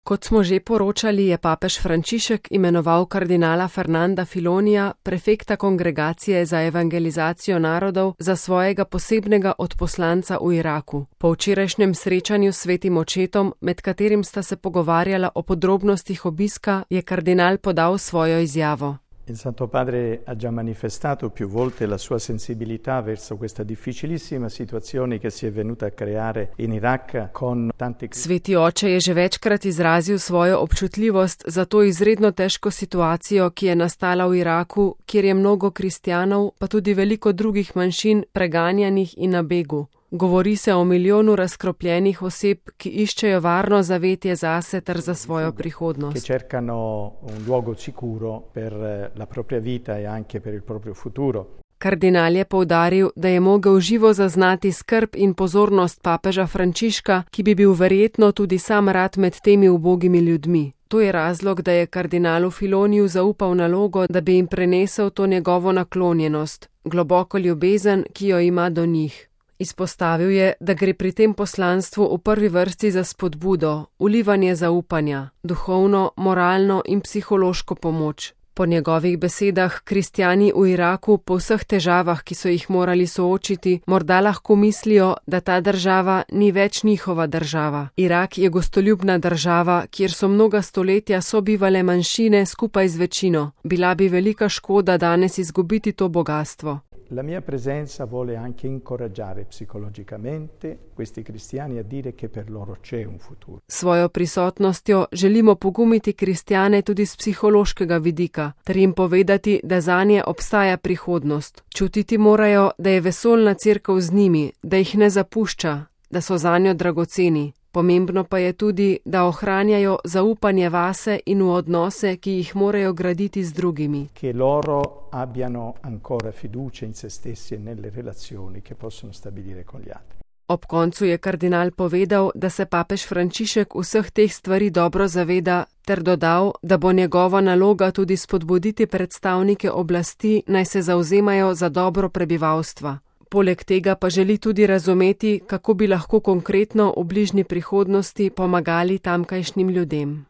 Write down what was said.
Kot smo že poročali, je papež Frančišek imenoval kardinala Fernanda Filonija, prefekta Kongregacije za evangelizacijo narodov, za svojega posebnega odposlanca v Iraku. Po včerajšnjem srečanju s svetim očetom, med katerim sta se pogovarjala o podrobnostih obiska, je kardinal podal svojo izjavo. Il Santo Padre ha già manifestato più volte la sua sensibilità verso questa difficilissima situazione che si è venuta a creare in Iraq con tanti. Sveti oče je že večkrat izrazil svojo občutljivost za to izredno težko situacijo, ki je nastala v Iraku, kjer je mnogo kristjanov, pa tudi veliko drugih manjšin preganjanih in na begu. Govori se o milijonu razkropljenih oseb, ki iščejo varno zavetje zase ter za svojo prihodnost. Che cercano un luogo sicuro per la propria vita e anche per il proprio futuro. Kardinal je poudaril, da je mogel živo zaznati skrb in pozornost papeža Frančiška, ki bi bil verjetno tudi sam rad med temi ubogimi ljudmi. To je razlog, da je kardinalu Filoniju zaupal nalogo, da bi jim prenesel to njegovo naklonjenost, globoko ljubezen, ki jo ima do njih. Izpostavil je, da gre pri tem poslanstvu v prvi vrsti za spodbudo, vlivanje zaupanja, duhovno, moralno in psihološko pomoč. Po njegovih besedah kristjani v Iraku po vseh težavah, ki so jih morali soočiti, morda lahko mislijo, da ta država ni več njihova država. Irak je gostoljubna država, kjer so mnoga stoletja sobivale manjšine skupaj z večino. Bila bi velika škoda danes izgubiti to bogastvo. La mia presenza vuole anche incoraggiare psicologicamente questi cristiani a dire che per loro c'è un futuro. Svojo prisotnostjo želimo pogumiti kristjane tudi z psihološkega vidika, ter jim povedati, da zanje obstaja prihodnost. Čutiti morajo, da je vesoljna cerkev z njimi, da jih ne zapušča, da so zanjo dragoceni. Pomembno pa je tudi, da ohranjajo zaupanje vase in v odnose, ki jih morajo graditi z drugimi. Che loro abbiano ancora fiducia in se stessi e nelle relazioni che possono stabilire con gli altri. Ob koncu je kardinal povedal, da se papež Frančišek vseh teh stvari dobro zaveda, ter dodal, da bo njegova naloga tudi spodbuditi predstavnike oblasti, naj se zavzemajo za dobro prebivalstva. Poleg tega pa želi tudi razumeti, kako bi lahko konkretno v bližnji prihodnosti pomagali tamkajšnjim ljudem.